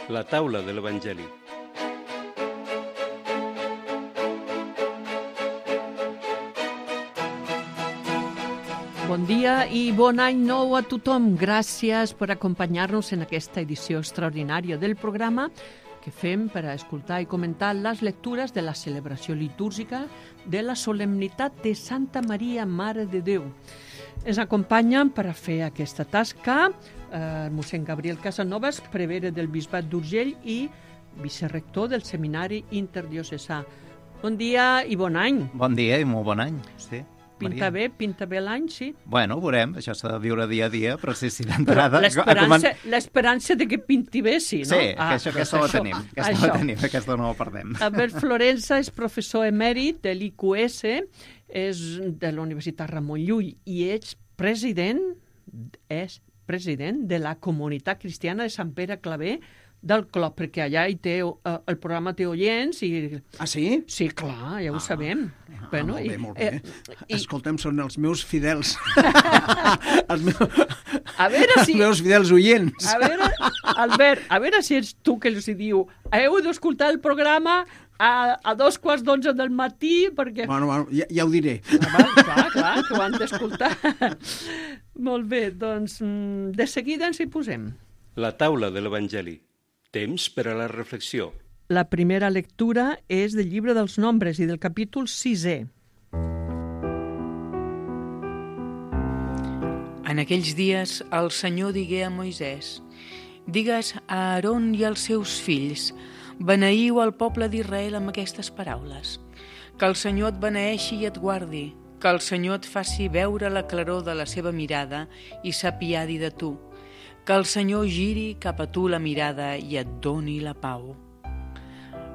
La taula de l'Evangeli. Bon dia i bon any nou a tothom. Gràcies per acompanyar-nos en aquesta edició extraordinària del programa que fem per a escoltar i comentar les lectures de la celebració litúrgica de la solemnitat de Santa Maria, Mare de Déu. Ens acompanyen per a fer aquesta tasca mossèn Gabriel Casanovas, prevere del Bisbat d'Urgell i vicerrector del Seminari Interdiocesà. Bon dia i bon any. Bon dia i molt bon any, sí. Pinta bé l'any, sí? Bueno, veurem, això s'ha de viure dia a dia, però sí, d'entrada... L'esperança de que pinti bé, sí, no? Sí, aquesta la tenim, aquesta no la perdem. Albert Florensa és professor emèrit de l'IQS, és de la Universitat Ramon Llull i és president de la Comunitat Cristiana de Sant Pere Claver del Clop, perquè allà hi té, el programa té oients i... Ah, sí? Sí, clar, ja ho sabem. Bueno, molt bé. Escolta'm, són els meus fidels. Els meus fidels oients. A veure, Albert, a veure si ets tu que els diu heu d'escoltar el programa a 11:45 del matí, perquè... Bueno, ja ho diré. Clar, que ho han d'escoltar. Molt bé, doncs de seguida ens hi posem. La taula de l'Evangeli. Temps per a la reflexió. La primera lectura és del llibre dels Nombres i del capítol 6è. En aquells dies el Senyor digué a Moisès: digues a Aaron i als seus fills, beneïu el poble d'Israel amb aquestes paraules. Que el Senyor et beneeixi i et guardi, que el Senyor et faci veure la claror de la seva mirada i s'apiadi de tu, que el Senyor giri cap a tu la mirada i et doni la pau.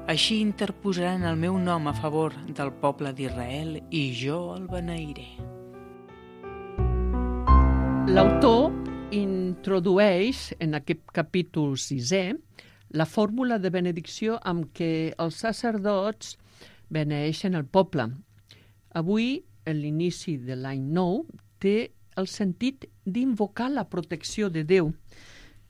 Així interposaran el meu nom a favor del poble d'Israel i jo el beneiré. L'autor introdueix en aquest capítol 6è la fórmula de benedicció amb què els sacerdots beneeixen el poble. Avui, a l'inici de l'any nou, té el sentit d'invocar la protecció de Déu.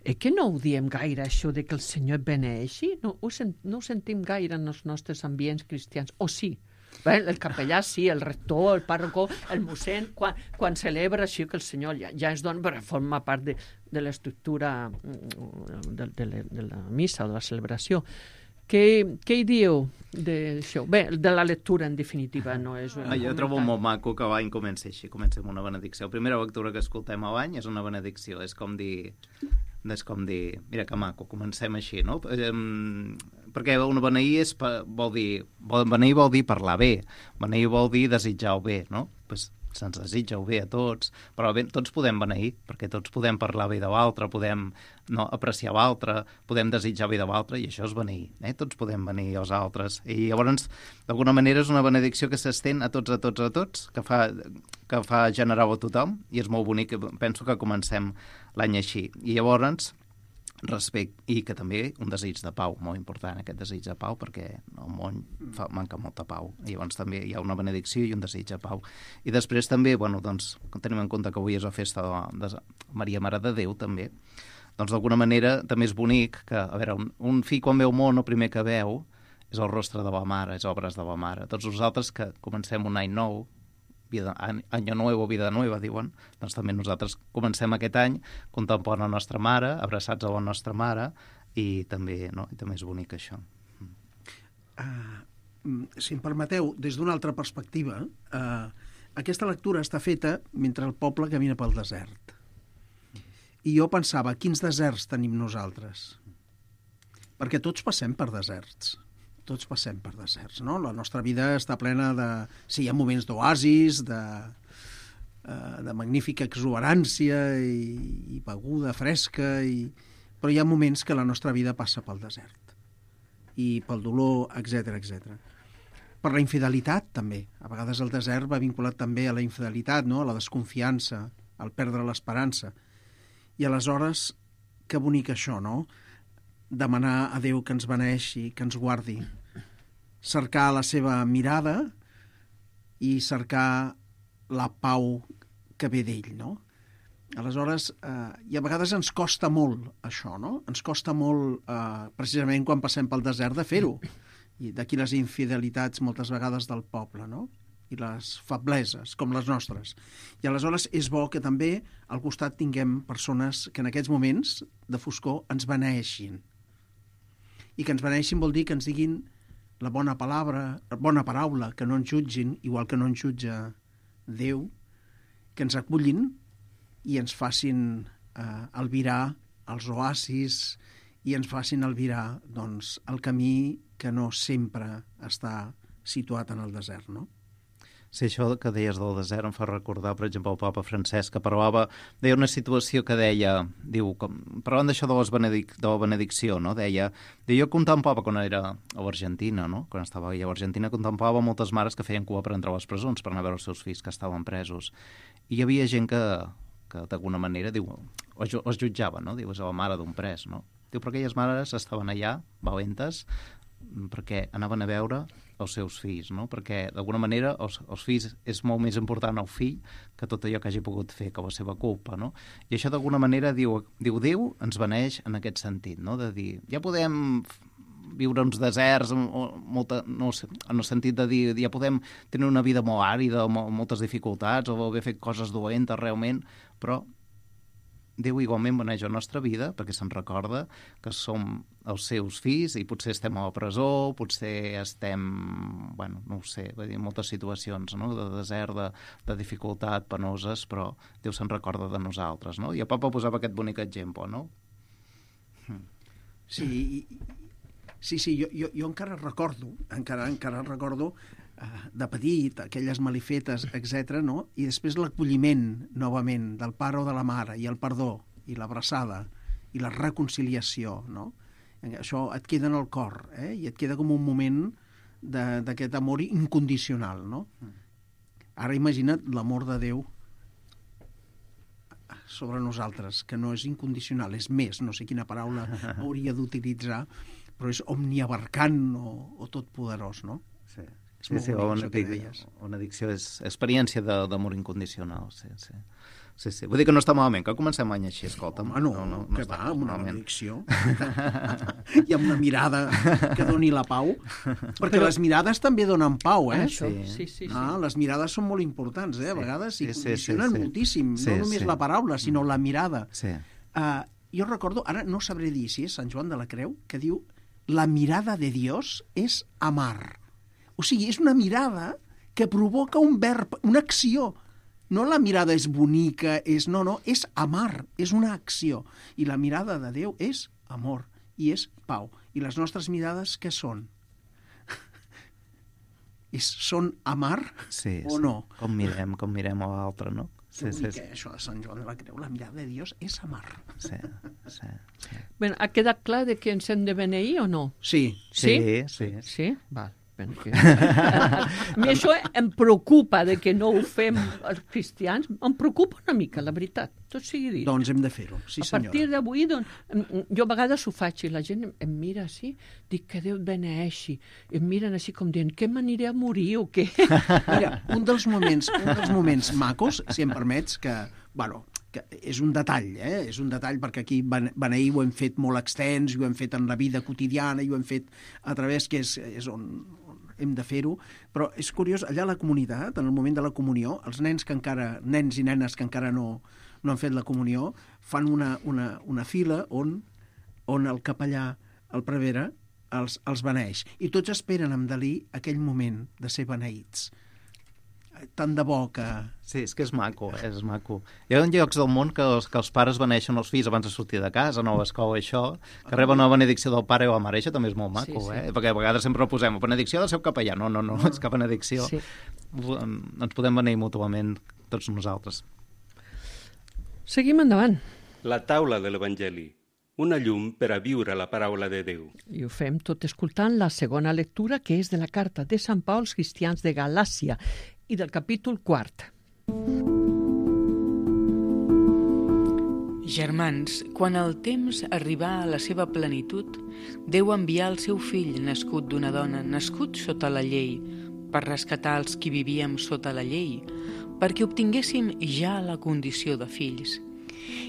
Que no ho diem gaire, això de que el Senyor et beneeixi? No ho sentim gaire en els nostres ambients cristians. O sí? Bé, el capellà sí, el rector, el pàrroco, el mossèn, quan celebra així que el Senyor ja es dona per formar part de l'estructura de la missa, de la celebració. Què hi dieu d'això? Bé, de la lectura, en definitiva, no és... Jo trobo molt maco que l'any comenci així, comenci amb una benedicció. La primera lectura que escoltem a l'any és una benedicció, és com dir, mira que maco, comencem així, no? Perquè una beneir beneir vol dir parlar bé, beneir vol dir desitjar el bé, no? Pues se'ns desitja el bé a tots, però bé, tots podem beneir, perquè tots podem parlar bé de l'altre, podem apreciar l'altre, podem desitjar bé de l'altre, i això és beneir, tots podem beneir els altres. I llavors, d'alguna manera, és una benedicció que s'estén a tots, que fa generar a tothom, i és molt bonic, penso que comencem l'any així. I llavors, respecte, i que també un desig de pau, molt important aquest desig de pau, perquè al món manca molta pau, i llavors també hi ha una benedicció i un desig de pau. I després també, doncs, tenim en compte que avui és la festa de Maria Mare de Déu també, doncs d'alguna manera també és bonic que, a veure, un fill quan veu món el primer que veu és el rostre de la mare, és obres de la mare. Tots nosaltres que comencem un any nou, Año Nuevo, Vida Nueva, diuen, doncs també nosaltres comencem aquest any contemplant la nostra mare, abraçats a la nostra mare, i també és bonic això. Si em permeteu, des d'una altra perspectiva, aquesta lectura està feta mentre el poble camina pel desert. I jo pensava, quins deserts tenim nosaltres? Perquè tots passem per deserts. Tots passem per deserts, no? La nostra vida està plena de... Sí, hi ha moments d'oasis, de magnífica exuberància i beguda fresca, però hi ha moments que la nostra vida passa pel desert. I pel dolor, etc. Per la infidelitat, també. A vegades el desert va vinculat també a la infidelitat, no? A la desconfiança, al perdre l'esperança. I aleshores, que bonic això, no? Demanar a Déu que ens beneeixi, que ens guardi, cercar la seva mirada i cercar la pau que ve d'ell, no? Aleshores, i a vegades ens costa molt això, no? Ens costa molt, precisament quan passem pel desert, de fer-ho. I d'aquí les infidelitats moltes vegades del poble, no? I les febleses, com les nostres. I aleshores és bo que també al costat tinguem persones que en aquests moments de foscor ens beneeixin. I que ens beneeixin vol dir que ens diguin la bona paraula, que no ens jutgin, igual que no ens jutja Déu, que ens acullin i ens facin albirar els oasis i ens facin albirar doncs, el camí que no sempre està situat en el desert, no? Sí, això que deies del desert em fa recordar, per exemple, el papa Francesc, que deia una situació que deia, parlant d'això de la benedicció, no? Deia, jo contemplava quan era a l'Argentina, no? Quan estava allà a l'Argentina, contemplava moltes mares que feien cua per entrar a les presons, per anar a veure els seus fills que estaven presos. I hi havia gent que d'alguna manera, els jutjava, no? Diu, és la mare d'un pres, no? Diu, però aquelles mares estaven allà, valentes, perquè anaven a veure els seus fills, no? Perquè d'alguna manera els fills és molt més important el fill que tot allò que hagi pogut fer, que la seva culpa, no? I això d'alguna manera diu Déu ens beneix en aquest sentit, no? De dir, ja podem viure uns deserts en el sentit de dir, ja podem tenir una vida molt àrida, amb moltes dificultats, o haver fet coses dolentes realment, però Déu igualment beneix la nostra vida perquè se'n recorda que som els seus fills i potser estem a la presó, potser estem, no ho sé, en moltes situacions, no? De desert, de dificultat, penoses, però Déu se'n recorda de nosaltres, no? I el papa posava aquest bonic exemple, no? Sí, jo encara recordo, de petit, aquelles malifetes, etc, no? I després l'acolliment, novament, del pare o de la mare, i el perdó, i l'abraçada, i la reconciliació, no? Això et queda en el cor, i et queda com un moment d'aquest amor incondicional, no? Ara imagina't l'amor de Déu sobre nosaltres, que no és incondicional, és més, no sé quina paraula hauria d'utilitzar, però és omniabarcant o totpoderós, no? Sí. Sí, una addicció és experiència d'amor incondicional, sí. Vull dir que no està malament, que comencem l'any així, escolta'm. No, que va, amb una addicció. I amb una mirada que doni la pau, perquè les mirades també donen pau, Sí. Les mirades són molt importants, a vegades s'hi condicionen moltíssim, no només la paraula, sinó la mirada. Jo recordo, ara no sabré dir si és Sant Joan de la Creu, que diu la mirada de Dios és amar. O sigui, és una mirada que provoca un verb, una acció. No la mirada és bonica, és amar, és una acció. I la mirada de Déu és amor i és pau. I les nostres mirades què són? Són amar o no? Com mirem a l'altre, no? Sí. Això de Sant Joan de la Creu, la mirada de Dios és amar. Sí. Bé, ha quedat clar de que ens hem de beneir o no? Sí. Sí? Val. A mi això em preocupa de que no ho fem els cristians, em preocupa una mica, la veritat, tot sigui dit. Doncs hem de fer-ho, sí senyora. A partir d'avui, jo a vegades ho faig i la gent em mira així, dic que Déu et beneeixi, em miren així com dient, què m'aniré a morir o què? Mira, un dels moments macos, si em permets, que és un detall, és un detall perquè aquí beneir ho hem fet molt extens, ho hem fet en la vida quotidiana i ho hem fet a través que és on hem de fer-ho, però és curiós, allà a la comunitat, en el moment de la comunió, els nens i nenes que encara no han fet la comunió, fan una fila on el capellà, el prevere, els beneeix. I tots esperen amb delí aquell moment de ser beneïts. Tant de bo que... Sí, és que és maco. Hi ha llocs del món que els pares beneixen els fills abans de sortir de casa, no a l'escola, això, que reben una benedicció del pare o la mare, això també és molt maco, perquè a vegades sempre ho posem, benedicció del seu capellà. No, és que benedicció. Sí. Ens podem beneir mútuament tots nosaltres. Seguim endavant. La taula de l'Evangeli, una llum per a viure la paraula de Déu. I ho fem tot escoltant la segona lectura, que és de la carta de Sant Pau als cristians de Galàcia i del capítol 4. Germans, quan el temps arribà a la seva plenitud, Déu envià el seu fill, nascut d'una dona, nascut sota la llei, per rescatar els qui vivíem sota la llei, perquè obtinguéssim ja la condició de fills.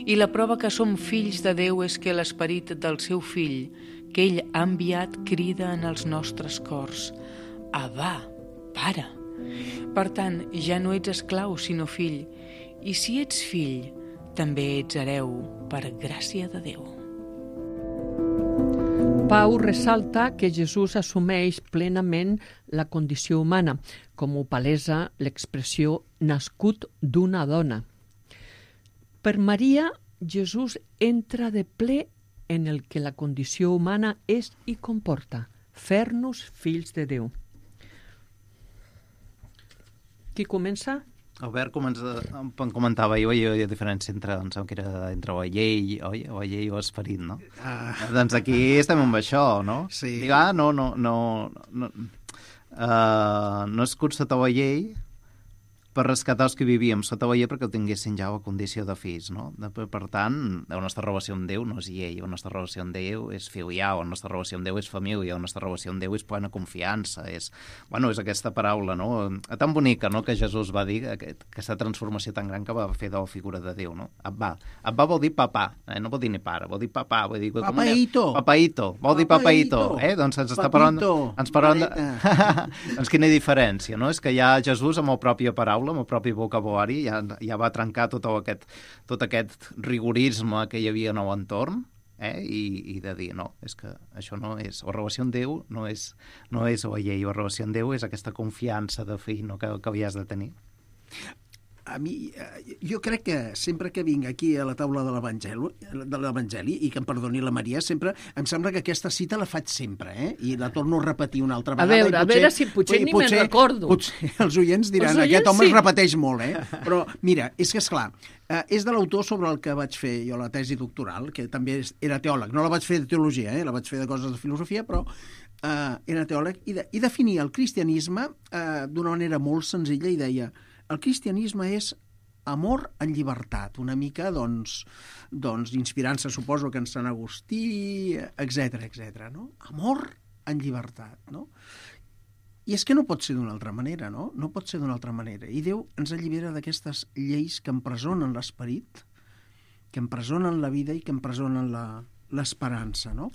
I la prova que som fills de Déu és que l'esperit del seu fill, que ell ha enviat, crida en els nostres cors: Abba, Pare. Per tant, ja no ets esclau, sinó fill, i si ets fill, també ets hereu per gràcia de Déu. Pau ressalta que Jesús assumeix plenament la condició humana, com ho palesa l'expressió nascut d'una dona. Per Maria, Jesús entra de ple en el que la condició humana és i comporta, fer-nos fills de Déu. Qui comença? Albert comentava jo la diferència entre, em sembla que era entre la llei, oi? O la llei o esperit, no? Doncs aquí estem amb això, no? Sí. Dic, no és curt sota la llei per rescatar els que vivíem sota la llei perquè tinguessin ja la condició de fills, no? Per tant, la nostra relació amb Déu no és llei, la nostra relació amb Déu és filial, la nostra relació amb Déu és família, la nostra relació amb Déu és plena confiança, és aquesta paraula, no? Tan bonica, no?, que Jesús va dir, aquesta transformació tan gran que va fer de la figura de Déu, no? Abba vol dir papà, no vol dir ni pare, vol dir papà, vol dir... Papaito. Papaito, vol dir papaito, doncs ens està parlant... Ens parlant de... Doncs quina diferència, no? És que ja Jesús, amb la pròpia paraula, amb el propi vocabulari, ja va trencar tot aquest rigorisme que hi havia en l'entorn, i de dir, no, és que això no és... La relació amb Déu no és la llei, la relació amb Déu és aquesta confiança de fill, no?, que havies de tenir. A mi, jo crec que sempre que vinc aquí a la taula de l'Evangeli, i que em perdoni la Maria, sempre em sembla que aquesta cita la faig sempre, i la torno a repetir una altra vegada. A veure si potser ni me'n recordo. Potser els oients diran, aquest home es repeteix molt, Però, mira, és que, esclar, és de l'autor sobre el que vaig fer jo la tesi doctoral, que també era teòleg. No la vaig fer de teologia, la vaig fer de coses de filosofia, però era teòleg, i definia el cristianisme d'una manera molt senzilla i deia: el cristianisme és amor en llibertat, una mica, doncs inspirant-se, suposo, que en Sant Agustí, etc., no? Amor en llibertat, no? I és que no pot ser d'una altra manera, no? No pot ser d'una altra manera. I Déu ens allibera d'aquestes lleis que empresonen l'esperit, que empresonen la vida i que empresonen l'esperança, no?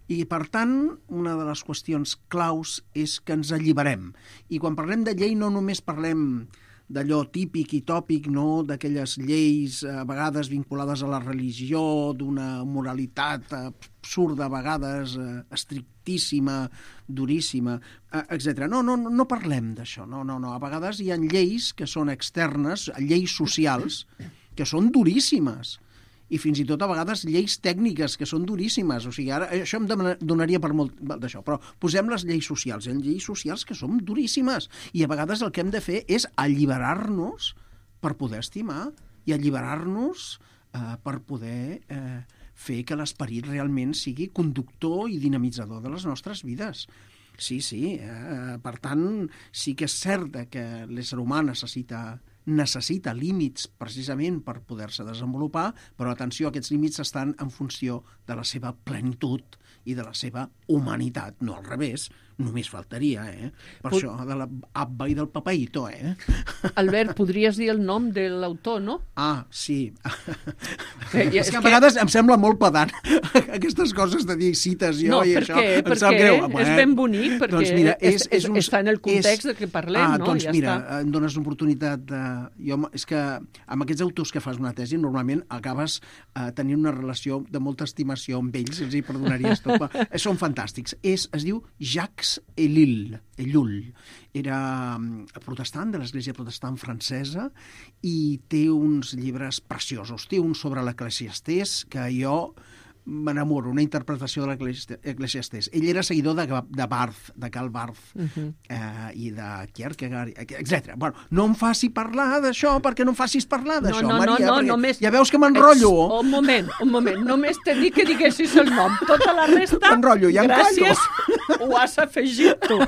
I, per tant, una de les qüestions claus és que ens alliberem. I quan parlem de llei no només parlem d'allò típic i tòpic, no?, d'aquelles lleis a vegades vinculades a la religió, d'una moralitat absurda, a vegades estrictíssima, duríssima, etc. No parlem d'això, no. A vegades hi ha lleis que són externes, lleis socials, que són duríssimes, i fins i tot a vegades lleis tècniques que són duríssimes. O sigui, ara això em donaria per molt d'això, però posem les lleis socials. Hi ha lleis socials que són duríssimes i a vegades el que hem de fer és alliberar-nos per poder estimar i alliberar-nos per poder fer que l'esperit realment sigui conductor i dinamitzador de les nostres vides. Sí. Per tant, sí que és cert que l'ésser humà necessita límits precisament per poder-se desenvolupar, però atenció, aquests límits estan en funció de la seva plenitud i de la seva humanitat, no al revés, només faltaria, Per això de l'Abba i del Papaito, Albert, podries dir el nom de l'autor, no? Ah, sí. És que a vegades em sembla molt pedant aquestes coses de dir cites jo i això. No, perquè és ben bonic, perquè doncs mira, està en el context de què parlem, no? Doncs mira, em dones l'oportunitat de... És que amb aquests autors que fas una tesi normalment acabes tenint una relació de molta estimació amb ells, els hi perdonaries tot. Són fantàstics. Es diu Jacques Ellul. Era protestant, de l'Església Protestant francesa, i té uns llibres preciosos. Té un sobre l'Eclesiastès, que jo m'enamoro, una interpretació de l'Eclesiastès. Ell era seguidor de Barth, de Karl Barth, i de Kierkegaard, etc. Bueno, no em faci parlar d'això, perquè no em facis parlar d'això, Maria, només... ja veus que m'enrotllo. Un moment, només t'he dit que diguessis el nom. Tota la resta, m'enrotllo, ja gràcies, ho has afegit tu.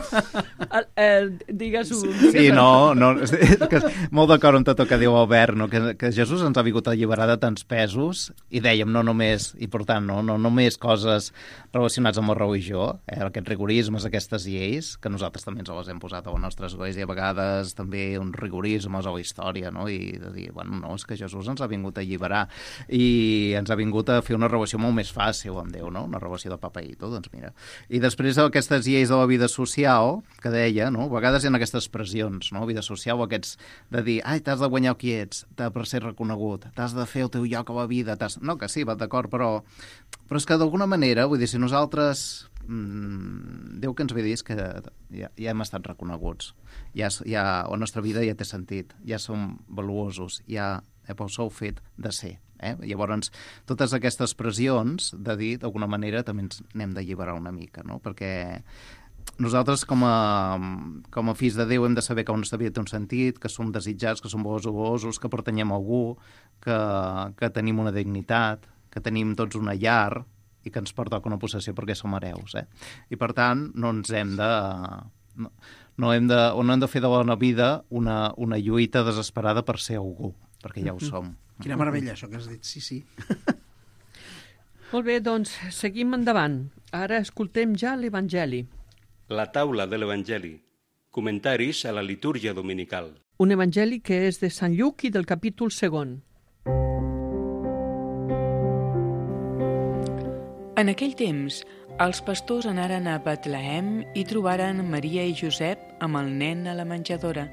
Digues-ho. Sí, no, molt d'acord amb tot el que diu Albert, no? Que Jesús ens ha vingut a alliberar de tants pesos, i dèiem, no només, i per tant, no només coses relacionades amb la religió, aquests rigorismes, aquestes lleis, que nosaltres també ens les hem posat a la nostra església, a vegades també uns rigorismes a la història, no? I de dir, bueno, no, és que Jesús ens ha vingut a alliberar i ens ha vingut a fer una relació molt més fàcil amb Déu, no? Una relació de papa i tot, doncs mira. I després aquestes lleis de la vida social, que deia, no? A vegades hi ha aquestes pressions, no? Vida social, aquests de dir, ai, t'has de guanyar qui ets, per ser reconegut, t'has de fer el teu lloc a la vida, no, que sí, va d'acord, però és que d'alguna manera, vull dir, si nosaltres Déu que ens ve dir és que ja hem estat reconeguts, ja la nostra vida ja té sentit, ja som valuosos, ja pel sol fet de ser. Llavors, totes aquestes pressions de dir, d'alguna manera, també ens n'hem d'alliberar una mica, no? Perquè nosaltres, com a fills de Déu, hem de saber que la nostra vida té un sentit, que som desitjats, que som valuosos, que pertanyem a algú, que tenim una dignitat, que tenim tots una llar i que ens pertoca una possessió perquè som hereus. I, per tant, no hem de fer de la vida una lluita desesperada per ser algú, perquè ja ho som. Quina meravella, això que has dit, sí. Molt bé, doncs seguim endavant. Ara escoltem ja l'Evangeli. La taula de l'Evangeli. Comentaris a la litúrgia dominical. Un Evangeli que és de Sant Lluc i del capítol 2. En aquell temps, els pastors anaren a Betlehem i trobaren Maria i Josep amb el nen a la menjadora.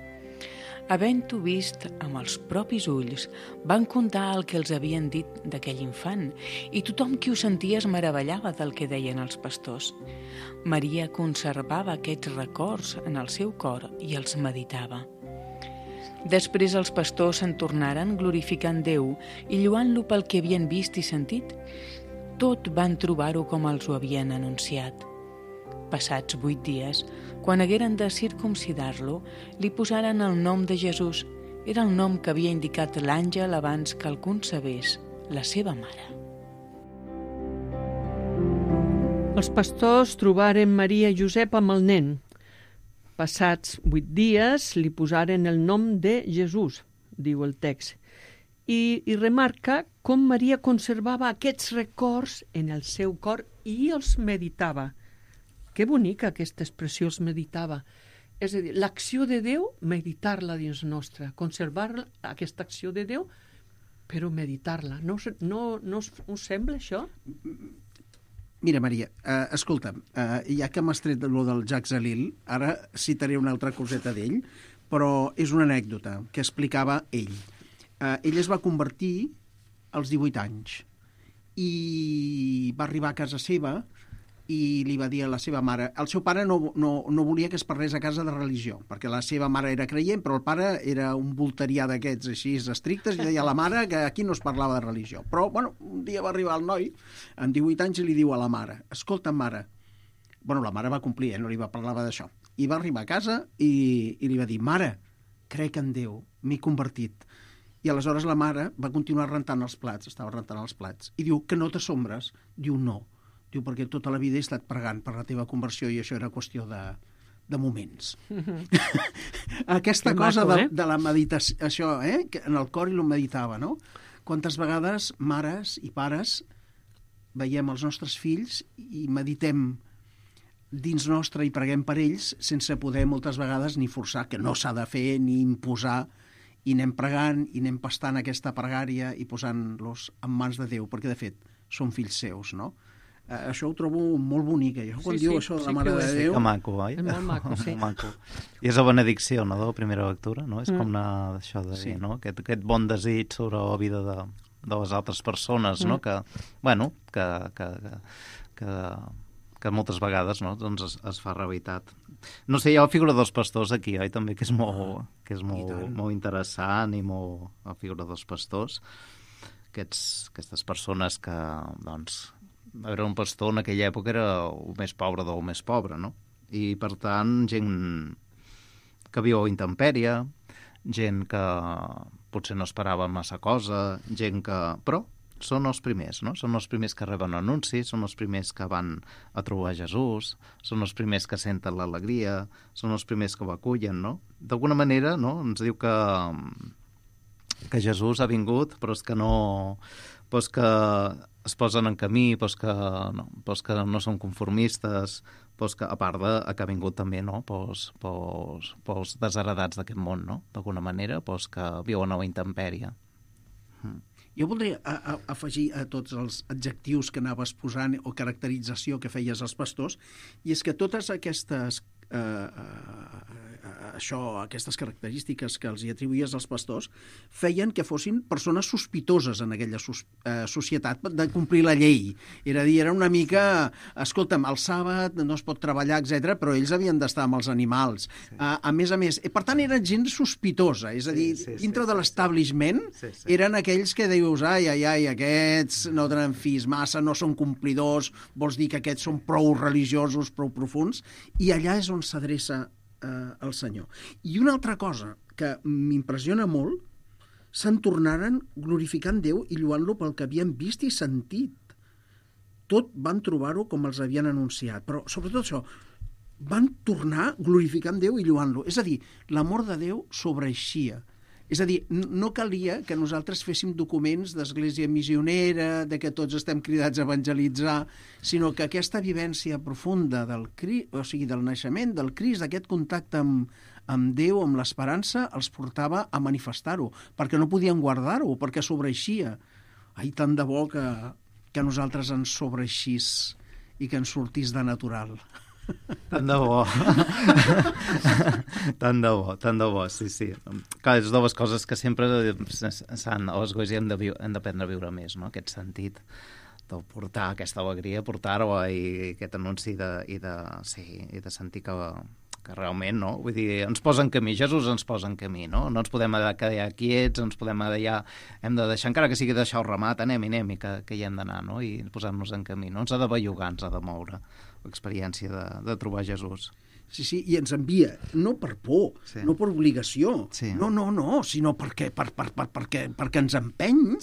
Havent-ho vist amb els propis ulls, van contar el que els havien dit d'aquell infant, i tothom qui ho sentia es meravellava del que deien els pastors. Maria conservava aquests records en el seu cor i els meditava. Després els pastors se'n tornaren glorificant Déu i lloant-lo pel que havien vist i sentit. Tot van trobar-ho com els ho havien anunciat. Passats 8 dies, quan hagueren de circumcidar-lo, li posaren el nom de Jesús. Era el nom que havia indicat l'àngel abans que el concebés la seva mare. Els pastors trobaren Maria i Josep amb el nen. Passats 8 dies li posaren el nom de Jesús, diu el text. I remarca com Maria conservava aquests records en el seu cor i els meditava. Que bonica aquesta expressió, els meditava. És a dir, l'acció de Déu, meditar-la dins nostra, conservar aquesta acció de Déu, però meditar-la. No us sembla això? Mira, Maria, escolta'm, ja que m'has tret lo del Jacques Ellul, ara citaré una altra coseta d'ell, però és una anècdota que explicava ell. Ell es va convertir als 18 anys i va arribar a casa seva i li va dir a la seva mare... El seu pare no volia que es parlés a casa de religió, perquè la seva mare era creient, però el pare era un volterià d'aquests així estrictes, i deia a la mare que aquí no es parlava de religió. Però, bueno, un dia va arribar el noi, amb 18 anys, i li diu a la mare, escolta, mare... Bueno, la mare va complir, no li va parlar d'això. I va arribar a casa i li va dir, mare, crec en Déu, m'he convertit. I aleshores la mare va continuar rentant els plats, estava rentant els plats, i diu que no t'assombres. Diu no, diu perquè tota la vida he estat pregant per la teva conversió i això era qüestió de moments. Aquesta cosa de la meditació, això, que en el cor i lo meditava, no? Quantes vegades mares i pares veiem els nostres fills i meditem dins nostre i preguem per ells sense poder moltes vegades ni forçar, que no s'ha de fer, ni imposar, i anem pregant i anem pastant aquesta pregària i posant-los en mans de Déu, perquè de fet són fills seus, no? Això ho trobo molt bonic, quan diu això de la Mare de Déu... Que maco, oi? És molt maco, sí. I és la benedicció, no?, de la primera lectura, no? És com anar d'això de dir, no? Aquest bon desig sobre la vida de les altres persones, no? Que, bueno, que moltes vegades, no?, doncs es fa realitat. No sé, hi ha la figura dels pastors aquí, oi, també, que és molt interessant i molt la figura dels pastors. Aquestes persones que, doncs, era un pastor en aquella època era el més pobre del més pobre, no? I, per tant, gent que viu a intempèrie, gent que potser no esperava massa cosa, gent que... Però són els primers, no? Són els primers que reben anuncis, són els primers que van a trobar Jesús, són els primers que senten l'alegria, són els primers que ho acullen, no? D'alguna manera, no?, ens diu que Jesús ha vingut, però és que no... Però és que es posen en camí, doncs que no són conformistes, doncs que, a part de que ha vingut també, no?, pels desheredats d'aquest món, no?, d'alguna manera, doncs que viuen a la intempèrie. Jo voldria afegir a tots els adjectius que anaves posant o caracterització que feies als pastors, i és que totes aquestes aquestes característiques que els hi atribuïes als pastors feien que fossin persones sospitoses en aquella societat de complir la llei. Era a dir, era una mica, escolta'm, el sàbat no es pot treballar, etc, però ells havien d'estar amb els animals. Sí. A més, per tant, era gent sospitosa, és a dir, dintre de l'establishment eren aquells que dius, ai, aquests no tenen fills massa, no són complidors, vols dir que aquests són prou religiosos, prou profuns, i allà és on s'adreça el Senyor. I una altra cosa que m'impressiona molt, se'n tornaren glorificant Déu i lluant-lo pel que havien vist i sentit. Tot van trobar-ho com els havien anunciat, però sobretot això, van tornar glorificant Déu i lluant-lo. És a dir, l'amor de Déu sobreeixia. És a dir, no calia que nosaltres féssim documents d'església missionera, de que tots estem cridats a evangelitzar, sinó que aquesta vivència profunda del naixement del Crist, d'aquest contacte amb Déu, amb l'esperança, els portava a manifestar-ho, perquè no podien guardar-ho, perquè sobreixia. Ai, tant de bo que a nosaltres ens sobreixís i que ens sortís de natural. Tant de bo. Tant de bo, sí. Clar, és de les coses que sempre s'han, a l'església hem d'aprendre a viure més, no?, aquest sentit de portar aquesta alegria, portar-ho i aquest anunci de sentir que realment, no? Vull dir, ens posa en camí, Jesús ens posa en camí, no? No ens podem quedar quiets, ens podem allà, hem de deixar, encara que sigui deixar el ramat, anem, i que hi hem d'anar, no? I posar-nos en camí, no? Ens ha de bellugar, ens ha de moure l'experiència de trobar Jesús. Sí, i ens envia, no per por, no per obligació, no, sinó perquè ens empeny,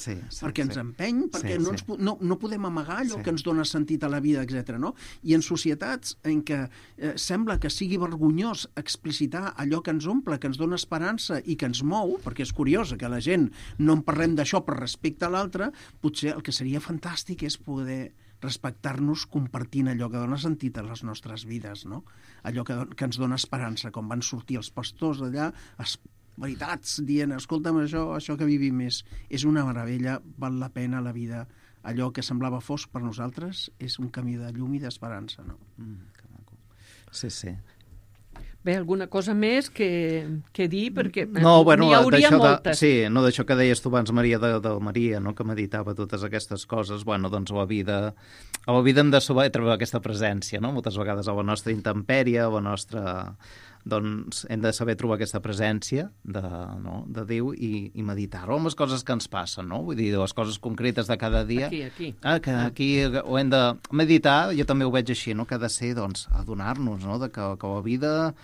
perquè no podem amagar allò que ens dona sentit a la vida, etc. No? I en societats en què sembla que sigui vergonyós explicitar allò que ens omple, que ens dona esperança i que ens mou, perquè és curiós que la gent no en parlem d'això per respecte a l'altre, potser el que seria fantàstic és poder respectar-nos compartint allò que dona sentit a les nostres vides, no? Allò que ens dona esperança, com van sortir els pastors d'allà, veritats, dient, escolta'm, això que vivim és una meravella, val la pena la vida, allò que semblava fosc per nosaltres és un camí de llum i d'esperança, no? Que maco. Sí. Bé, alguna cosa més que dir, perquè n'hi hauria moltes. Sí, no, d'això que deies tu abans, Maria, de Maria, no?, que meditava totes aquestes coses, doncs a la vida hem de saber trobar aquesta presència, no?, moltes vegades a la nostra intempèrie, a la nostra... doncs hem de saber trobar aquesta presència de Déu i meditar-ho amb les coses que ens passen, no? Vull dir, les coses concretes de cada dia. Aquí. Que aquí ho hem de meditar, jo també ho veig així, no?, que ha de ser, doncs, adonar-nos, no?, de que la vida...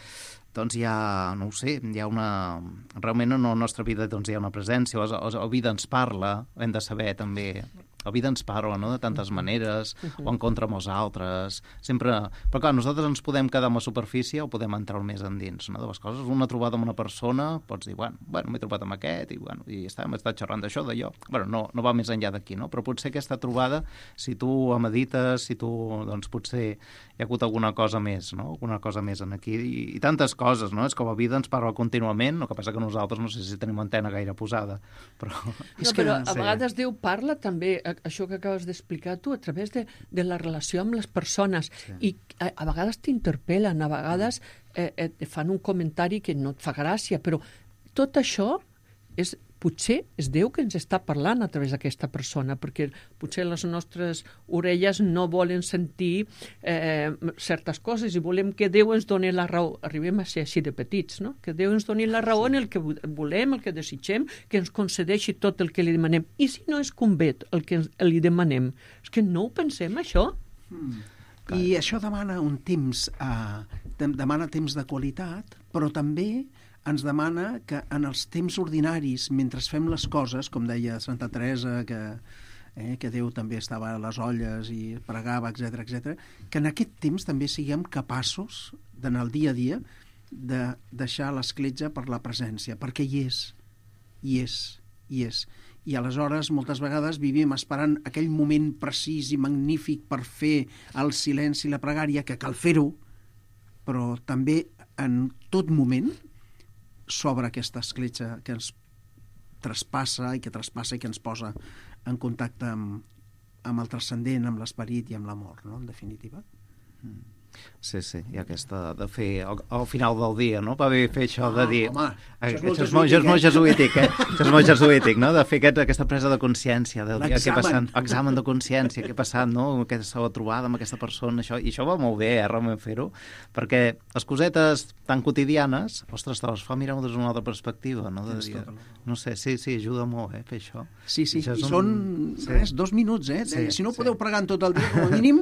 doncs hi ha, no ho sé, hi ha una... Realment en la nostra vida doncs, hi ha una presència, la vida ens parla, hem de saber també... La vida ens parla, no?, de tantes maneres, o en contra amb els altres, sempre... Però clar, nosaltres ens podem quedar amb la superfície o podem entrar més endins, no?, de les coses. Una trobada amb una persona, pots dir, bueno, m'he trobat amb aquest, i hem estat xerrant d'això, d'allò. Bueno, no va més enllà d'aquí, no? Però potser aquesta trobada, si tu medites, si tu, doncs, potser hi ha hagut alguna cosa més, no?, alguna cosa més en aquí, i tantes coses, no? És que la vida ens parla contínuament, el que passa que nosaltres no sé si tenim antena gaire posada, però... Però a vegades Déu parla també, això que acabes d'explicar tu, a través de la relació amb les persones, i a vegades t'interpel·len, a vegades et fan un comentari que no et fa gràcia, però tot això potser és Déu que ens està parlant a través d'aquesta persona, perquè potser les nostres orelles no volen sentir certes coses i volem que Déu ens doni la raó. Arribem a ser així de petits, no? Que Déu ens doni la raó en el que volem, el que desitgem, que ens concedeixi tot el que li demanem. I si no és convé el que li demanem? És que no ho pensem, això. I això demana un temps, demana temps de qualitat, però també ens demana que en els temps ordinaris, mentre fem les coses, com deia Santa Teresa, que Déu també estava a les olles i pregava, etc., que en aquest temps també siguem capaços, en el dia a dia, de deixar l'escletxa per la presència, perquè hi és. I aleshores, moltes vegades, vivim esperant aquell moment precís i magnífic per fer el silenci i la pregària, que cal fer-ho, però també en tot moment s'obre aquesta escletxa que ens traspassa i que ens posa en contacte amb el transcendent, amb l'esperit i amb l'amor, no?, en definitiva. Sí, i aquesta de fer al final del dia, no? Va bé fer això de dir... Home, això és molt jesuític, Això és molt jesuític, no? De fer aquesta presa de consciència del dia, què ha passat, examen de consciència, què ha passat, no? Aquesta trobada amb aquesta persona, això, i això va molt bé, realment fer-ho, perquè les cosetes tan quotidianes, ostres, te les fa mirar des d'una altra perspectiva, no? De dir, no sé, sí, ajuda molt, fer això. Sí, i són 2 minuts, si no podeu pregar en tot el dia, com a mínim,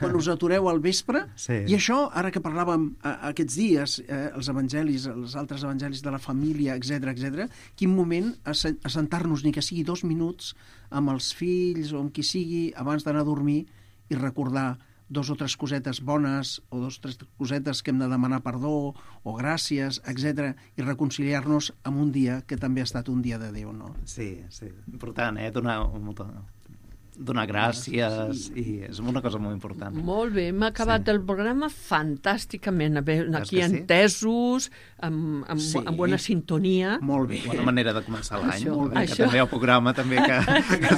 quan us atureu al vespre. I això, ara que parlàvem aquests dies, els evangelis, els altres evangelis de la família, etc, quin moment assentar-nos, ni que sigui 2 minuts, amb els fills o amb qui sigui, abans d'anar a dormir, i recordar 2 o 3 cosetes bones, o 2 o 3 cosetes que hem de demanar perdó, o gràcies, etc, i reconciliar-nos amb un dia que també ha estat un dia de Déu, no? Sí, important, donar gràcies, i és una cosa molt important. Molt bé, hem acabat el programa fantàsticament, aquí entesos, amb bona sintonia. Molt bé. Bona manera de començar l'any, que també el programa també que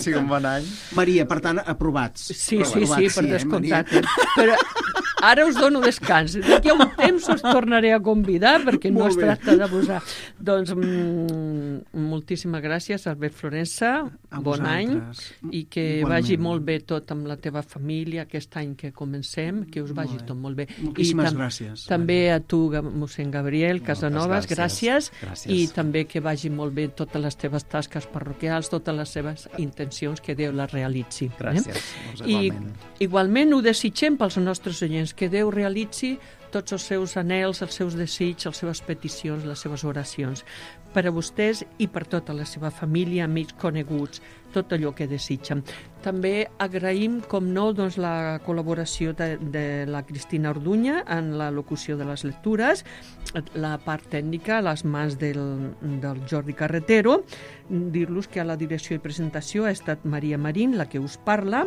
sigui un bon any. Maria, per tant, aprovats. Sí, per descomptat. Però ara us dono descans. D'aquí a un temps us tornaré a convidar, perquè no es tracta d'abusar. Doncs moltíssimes gràcies, Albert Florença, bon any, i que vagi molt bé tot amb la teva família aquest any que comencem, que us vagi tot molt bé. Moltíssimes gràcies. També a tu, mossèn Gabriel Casanovas, gràcies, i també que vagi molt bé totes les teves tasques parroquials, totes les seves intencions, que Déu les realitzi. Gràcies, igualment. I igualment ho desitgem pels nostres oients, que Déu realitzi tots els seus anhels, els seus desitjos, les seves peticions, les seves oracions, per a vostès i per tota la seva família, amics, coneguts, tot allò que desitgen. També agraïm, com no, doncs, la col·laboració de la Cristina Orduña en la locució de les lectures, la part tècnica, les mans del Jordi Carretero, dir-los que a la direcció i presentació ha estat Maria Marín, la que us parla.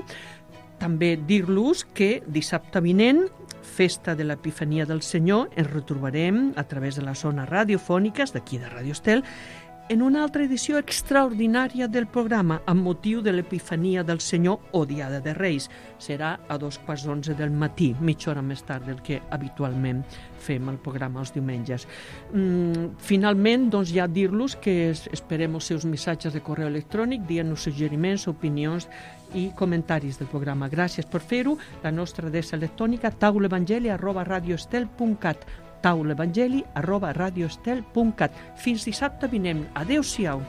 També dir-los que dissabte vinent, festa de l'Epifania del Senyor, ens retrobarem a través de les zones radiofòniques d'aquí de Radio Estel en una altra edició extraordinària del programa amb motiu de l'Epifania del Senyor o Diada de Reis. Serà a 11:15 del matí, mitja hora més tard del que habitualment fem el programa els diumenges. Finalment, doncs, ja dir-los que esperem els seus missatges de correu electrònic, dient-nos suggeriments, opinions i comentaris del programa. Gràcies per fer-ho. La nostra adreça electrònica taulevangeli@radioestel.cat taulevangeli@radioestel.cat. Fins dissabte vinent. Adéu-siau.